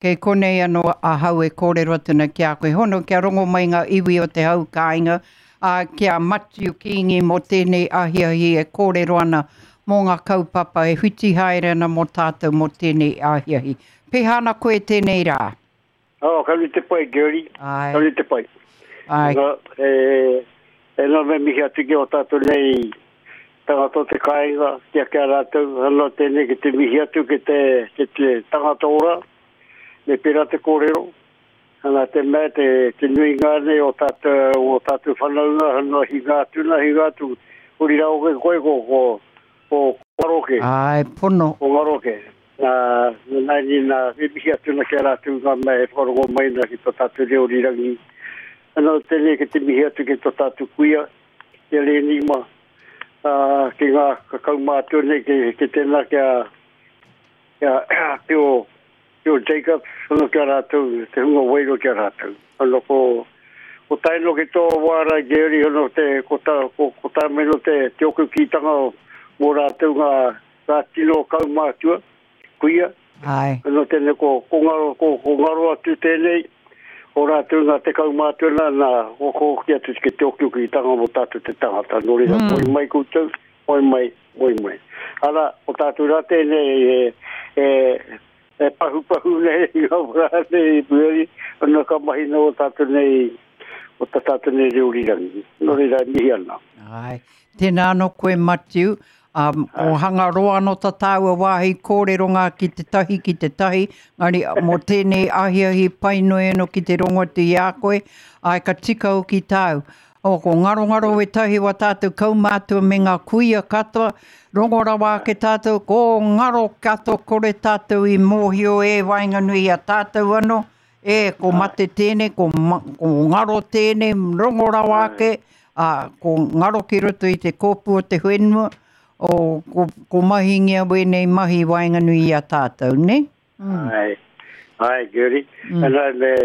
Kei konei anō ahau e kōrero atu ana ki a koe. Hono kia rongo mai ngā iwi o te hau kāinga, ā, ki a Matiu Kīngi mō tēnei ahiahi e kōrero ana mō ngā kaupapa e whiti haere ana mō tātou mō tēnei ahiahi. Pēhea ana koe tēnei rā? Oh, ka nui te pai, Gertie. Āe. Ka nui te pai. Āe. Nā, e, e nā me mihi atu ki o tātou nei tangata o te kāinga, kia kia rātou, anō tēnei ki te mihi atu ki te, ki te tangata ora, me pērā te kōrero. Ana te mea te, te nuinga nei o tātou, o tātou whanaunga, anō hinga atu na, hinga atu, huri rā oke koe ko, ko, ko Ngaroke. Āe, pono. Ko Ngaroke. Nā, nā, nā, nā, e mihi atu na ki a rātou ngā mea e whakarongo mai na ki tō tātou reo rirangi. Anō tēnei ki te mihi atu ki tō tātou kuia, ki a Leni ma, ā, ki ngā kaumātua nei, ki, ki tēnā ki a, ki a Teo, Teo Jacobs, anō ki a rātou, te hunga wairua ki a rātou. Anō ko, ko tae noa ki tō wā rā, Gary, anō te, ko tā, ko, ko tā mai no te, te oku kītanga mō rātou ngā, ngā tino kaumātua, kuia. Āe. Anō tēnei ko, ko ngaro, ko, ko ngaro atu tēnei, o rātou ngā te kaumātua nā, nā, ko, ko hoki atu ki te okioki-tanga mō tātou te tangata. Nō reira, mm. moe mai koutou, moe mai, moe mai. Ara, ko tātou rā tēnei e, e, e pahupahu nei, i ngā wā nei, pueri, anō ka mahi nō tātou nei, o tā tātou nei reo rirangi. Nō reira, mihi ana. Āe. Tēnā anō koe, Matiu. Ā, ko Hangaroa anō tā tāua wāhi kōreronga ki te tahi, ki te tahi, engari mō tēnei ahiahi pai noa anō ki te rongo atu i a koe, āe ka tika hoki tāu. O, ko Ngarongaro wētahi o ā tātou kaumātua me ngā kuia katoa, rongo rawa ake tātou, ko ngaro katoa kore tātou i mōhio e waenganui i a tātou anō, e, ko mate tēnei, ko, ko ngaro tēnei, rongo rawa ake, ā, ko ngaro ki roto i te kōpū o te whenua, o, ko, ko mahingia wēnei mahi i waenganui i a tātou, nē? Mm. Ai, ai, Gertie. Mm. Ana, me,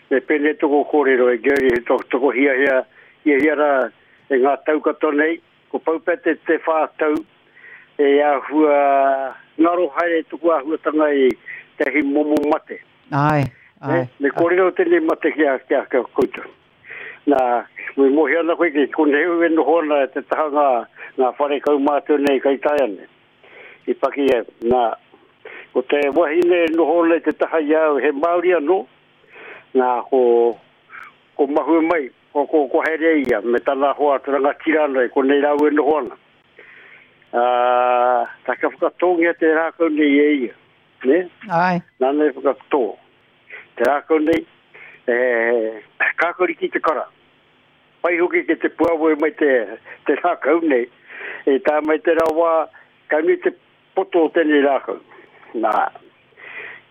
me pēnei toko kōrero e Gertie, he toko, toko hiahia, hiahia rā e ngā tau katoa nei, ko pau pea te, te whā tau, e āhua ngaro haere tuku āhuatanga i tehi momo mate. Ai, ai. Me, me kōrero tēnei mate ki a, ki a, ki a koutou. Nā, me mōhio ana koe ki konei au e noho ana te taha ngā, ngā whare kaumātua nei kai taea nei. I paki e, nā, ko te wahine e noho ana i te taha i a au, he Māori anō, nā, ko, ko Mahue mai, ko, ko, ko haere ia, me tana hoa te rangatira anō, e konei rāua e noho ana. Ā, tā ka whakatōngia te rākau nei e ia, nē? Āe. Nāna i whakatō. Te rākau nei, e kākariki te kara. Pai hoki ki te puawai mai te, te rākau nei. E tae mai te rawa, ka nui te poto o tēnei rākau. Nā,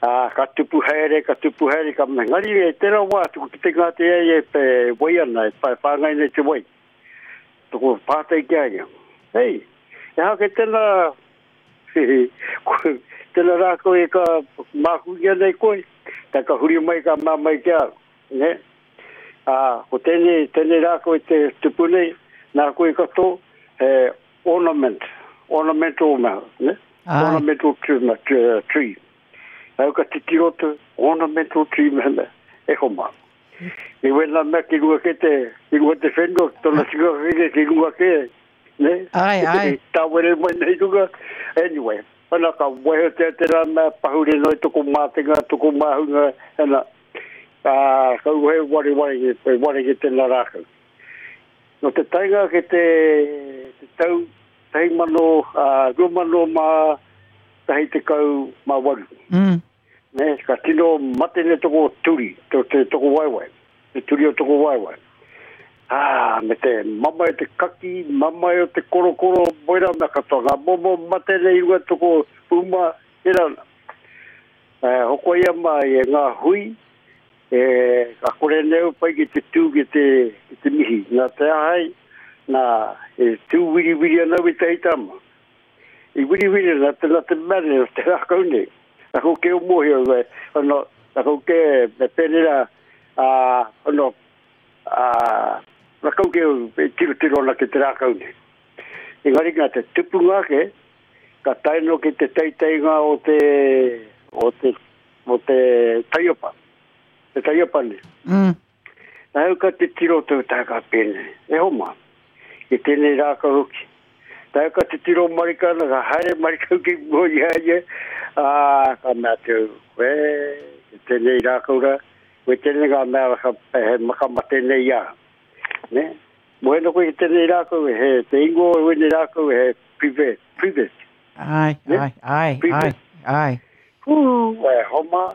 ā, ka tupu haere, ka tupu haere, ka mea. Ngari e te rawa, tuku ki te ngā te ai e te wai ana, e whāngai nei te wai. Toko pātai ki a ia. Hei, e hake tēnā Tena rākau e ka mākūngia nei koe, tai ka huri mai ka mea mai ki a au, ne? Ā, ko tēnei, tēnei rākau e te tupu nei, nā koe ka tō, he ornament, ornamental mea, ne? Āe. Ornamental tree, tree. Au ka titiro atu, ornamental tree mea mea, e homa. I wena mea ki runga ke te, ki runga te whenua, tona tikanga ke ki runga ke, Ne? Ai, ai. Tāwere mai nei runga. Anyway, ana ka wehetea te rā mea pahure noi toko mātenga, toko māhunga, ana, ā, ka uhe ware ware ki, e ware ki tēnā rākau. No te taenga ke te, te tau, tahi mano, ā, 2000 mā, tahi tekau mā waru. Mm. Ne, ka tino mate ne toko turi, to te toko waewae, te turi o toko waewae. Ā, me te mamae o te kaki, mamae o te korokoro, moera mea katoa, ngā momo mate nei i runga toko uma, tērā ana. E, hoko ia mai e ngā hui, e, ka kore nei au pai ki te tū ki te, ki te mihi. Nā te ahai, nā, e tū wiriwiri ana au i tahi tama. I wiriwiri na te, na te mea nei, te rākau nei. Aku ke o mōhio, e, ono, aku ke me pēnei rā, ā, ono, ā, rakau ke e tirotiro ana ki te rākau nei. Engari ngā te tupunga ake, ka tae noa ki te teiteinga o te, o te. mo te taiopa. Te taiopa nei. Mm. Nā au ka titiro tau tā ka pēnei. E homa, i tēnei rākau hoki. Tā au ka titiro marika ana, ka haere marika ki mua i a ia, ā, ka mea atu au, koe, i tēnei rākau rā, koe tēnei ngā mea ka, he makamate nei a. Ne? Moe ana koe ki tēnei rākau, he, te ingoa o wēnei rākau, he privet, privet. Ai, Ne? ai, ai, ai, Privet. ai. Hū, e homa,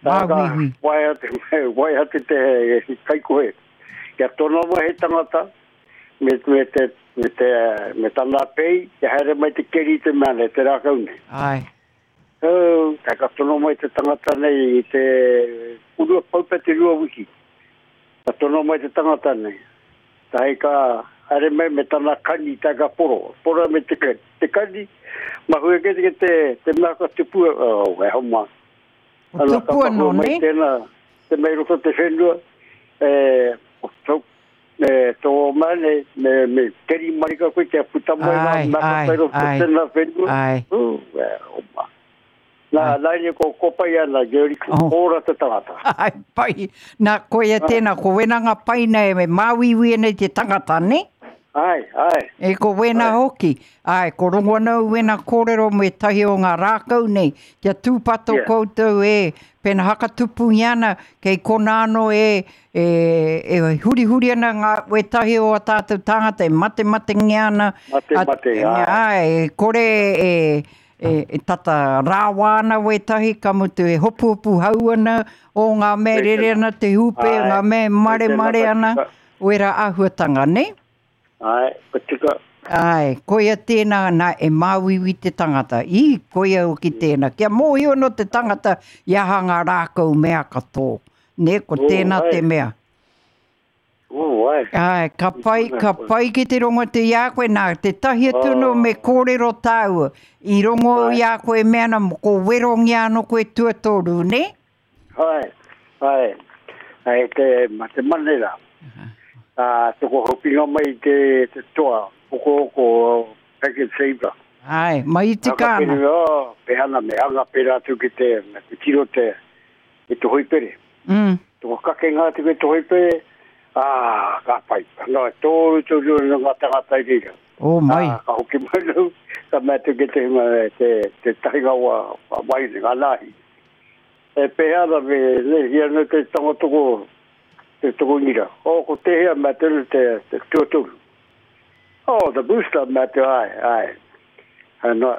Māuiui. Wai atu, wai atu te kaikohe. Kia tono mai he tangata, me, me, te, me, te, me tana pei, kia haere mai te keri i te mea nei, te rākau nei. Ai. Oh, ka ka tono mai te tangata nei i te urua paupe te rua wiki. Ka tono mai te tangata nei. Tahi ka haere mai me tana kani, tahi ka poro. Poro me te, te kani, mahue ke te, te, te mea ka tupua, oh, e homa. O tupua Ana, nō, ka mahue mai ne? tēnā, te mea i roto te whenua, e, o tō, me tō mea nei, me, me keri marika koe kia puta mai ngā Ai, mea ai, katoa i roto ai, tēnā whenua. ai. Ū, e, homa. Nā, nā ini ko kopai ana, Gary, Oh. kōra te tangata. Ai, pai. Nā, koia tēnā, ko wena ngā pai nei, me māuiui nei te tangata, ne? Ai, ai. E ko wena Ai. hoki. Ai, ko rongo ana au wena kōrero me tahi o ngā rākau nei. Kia tūpato Yeah. koutou e, pena hakatupungia ana, kei kona anō e, e, e hurihuri ana ngā wētahi o a tātou tāngata e matematengia ana. Matemate, A- ai. Ai, e kore e, e, e tata rāwā ana wētahi, ka mutu e hopuhopu hau ana, o ngā mea rere ana te hūpe, Ai, ngā mea maremare ana, wera āhuatanga, ne? Ai, ka tika. Ai, koia tēnā nā e māuiui te tangata. I, koia hoki tēnā. Kia mōhio no te tangata i aha ngā rākau mea katoa. Ne, ko Oh, tēnā te ai. mea. Oh, ai. Ai, ka pai, ka pai ki te rongo te i a koe nā, te tahi atu no me kōrero tāua. I rongo i a koe mea na, ko werongia anō koe tuatoru, ne? Ai, ai. Ai, te, ma te manera. Ah, toko hopinga mai te, te toa, oko oko, packet saver. Ai, mai tika ana. Whakapere, oh, pehana me anga pera atu ki te, me te tiro te, i te hoipere. Toko kake ngā atu ki te hoipere, ah, ka pai. No, tōru tōru no ngā tangata i reira. Oh, mai. Ah, ka hoki mai nau, ka mea atu ki te hunga, te, te tahinga wa, wa waine, ngā nāhi. E pehana me, ne, hia no te tanga toko, te toko ngira. Oh, ko te hea mea te, te, te tuatoru. Oh, the booster mea te, ai, ai. Ano,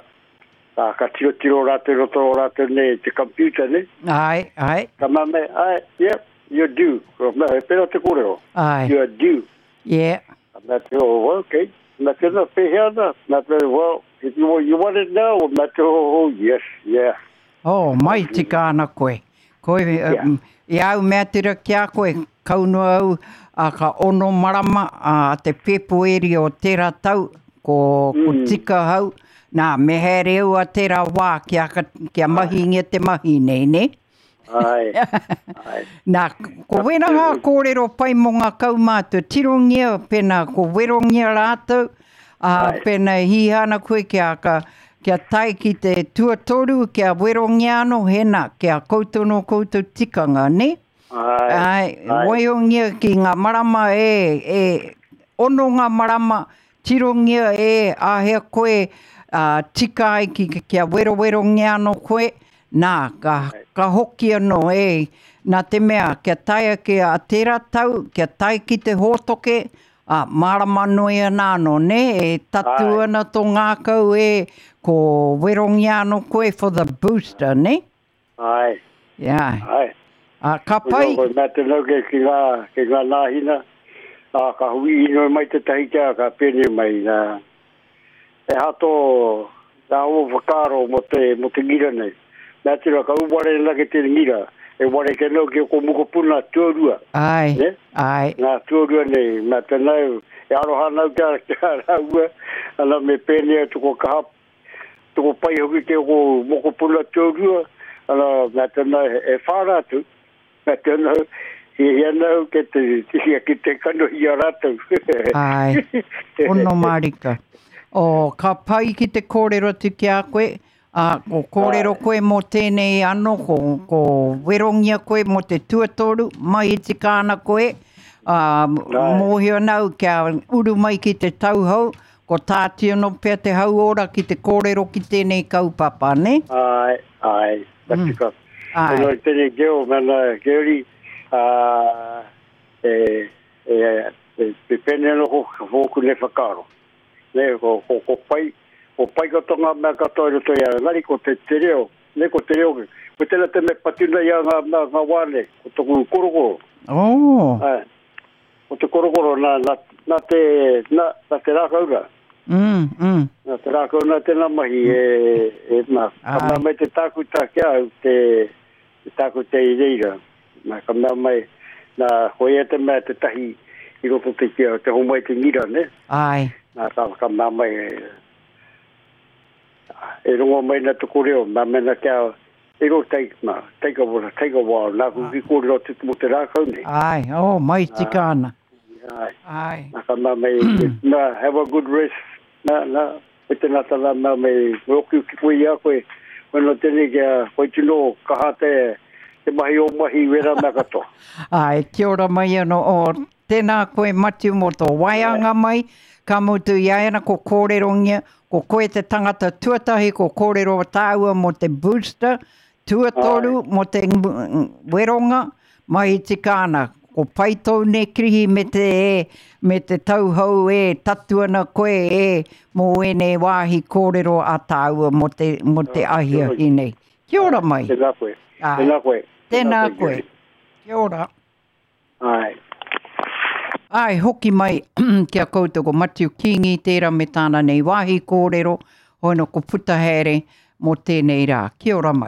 ah, ka tiro tiro rātou roto o rātou nei, te computer nei. Ai, ai, Ka mea me, ai, yep, you're due. Ko mea, he pera te kōrero. ai. You're due. Yeah. Ka mea te, oh, okay. Mea te, na, pehea ana. Mea te, well, if you, want- you want it now? Mea te, oh, oh, yes, yeah. Oh, mai tika ana koe. Koe, Yeah. i au mea tira ki a koe, kaunoa au a ka ono marama a te Pepueri o tērā tau, ko, ko tika hau. Nā, me haere au a tērā wā kia, kia mahingia te mahi nei, ne? Ai, ai. Nā, ko wena ngā kōrero pai mō ngā kaumātua, tirongia, pēnā ko werongia rātou, ā, Ai. pēnā e hiha ana koe kia, ka, kia tae ki te tuatoru, kia werongia anō, hēnā, kia koutou no koutou tikanga, ne? Ai, Ai, ai. waiongia ki ngā marama e, e, ono ngā marama, tirongia e, āhea koe, ā, tika ai ki, kia werowerongia anō koe, nā, ka, ka hoki anō e, nā te mea, kia tae ake a tērā tau, kia tae ki te hōtoke, ā, mārama nui ana anō, ne, e tatu Ai. ana tō ngākau e, ko werongia anō koe for the booster, ne? Ai, Yeah. ai. Ā, ka pai, Ko mea te nau ke ki ngā, ki ngā nāhina, ā, ka hui inoi mai te tahi kia, ka pēnei mai. Nā. E hato, nā o whakaaro mo te, mo te ngira nei. Mea tira, ka uware na ke te ngira, e ware ke nau ki o ko mokopuna tuarua. ai, Ne? ai, Ngā tuarua nei, mea te nau, e aroha nau kia, kia rāua, ana me pēnei tuko kaha, tuko pai hoki te o ko mokopuna tuarua, ana mea te nau, e whāra atu, mea te nau, i hia nau ke te, hia ki te kanohi a rātou. Ai, ono mārika. O, ka pai ki te kōrero atu ki a koe, Ā, ko kōrero koe mō tēnei anō, ko, ko werongia koe mō te tuatoru, mai i tika ana koe, ā, mōhio ana au kia uru mai ki te tauhou, ko tāti anō pea te hauora ki te kōrero ki tēnei kaupapa, nē? Āe, āe, ka tika. Āe. Nō tēnei geo, mēnā Geori, ā, e, e, e, e pēnei anō ko wōku nei whakaaro. Nē, ko, ko, ko pai, ko pai katoa ngā mea katoa i roto i a, engari ko te, te reo, nē, ko te reo, ko tēnā te mea patu nei a ngā, ngā, ngā wā nei, ko toku korokoro. Oh. Āe, ko te korokoro nā, nā, nā te, nā, nā te rākau rā. Mm, mm. Nā te rākau nā tēnā mahi e, e, nā, ka mea mai te tākuta ki a au, te, te tākuta i reira. Nā, ka mea mai, nā, ko ia te mea te tahi i roto te kia, te homai te ngira, ne? Ai. Nā, ka, ka mea mai, e, e rongo mai na tuku reo, mea mena kia, e ro take, nā, take a, take a while, nā, ku ki kōrero atu mo te rākau nei. Ai, oh, mai tika ana. Ai. Ai. Nā, ka mea mai, nā, have a good rest, nā, nā, Ko te nata la mea me oki ki koe i a koe, koe no tenei kia koe tino kaha te, te mahi o mahi wera mea katoa. Ae, kia ora mai ano, o, tēnā koe Matiu mō tō waeanga mai, ka mutu i a ana ko kōrerongia, ko koe te tangata tuatahi ko kōrero tāua mō te booster, Tuatoru mō te weronga, mai tika ana, ko pai tōu nei kirihi me te e, me te tauhou e, tatu ana koe e, mō ēnei wāhi kōrero a tāua mō te, mō te ahiahi nei. Kia ora mai. Tēnā koe. Tēnā koe. Tēnā koe. Kia ora. Āe. Āe, hoki mai ki a koutou ko Matiu Kīngi tērā me tāna nei wāhi kōrero, hono ko puta haere mō tēnei rā. Kia ora mai.